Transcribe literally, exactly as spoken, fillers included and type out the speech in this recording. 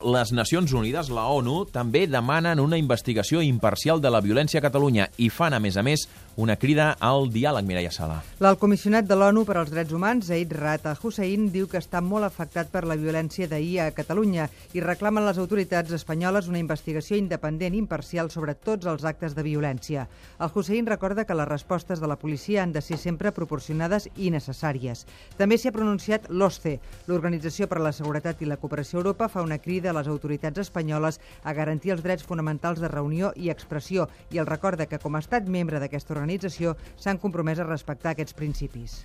Les Nacions Unides, la ONU, també demanen una investigació imparcial de la violència a Catalunya i fan, a més a més, una crida al diàleg, Mireia Sala. L'alt comissionat de l'ONU per als Drets Humans, Zeid Ra'ad al-Hussein, diu que està molt afectat per la violència d'ahir a Catalunya i reclamen les autoritats espanyoles una investigació independent i imparcial sobre tots els actes de violència. Al-Hussein recorda que les respostes de la policia han de ser sempre proporcionades i necessàries. També s'hi ha pronunciat l'O S C E, l'Organització per a la Seguretat i la Cooperació a Europa, fa una crida a les autoritats espanyoles a garantir els drets fonamentals de reunió i expressió i el recorda que com a estat membre d'aquesta organització s'han compromès a respectar aquests principis.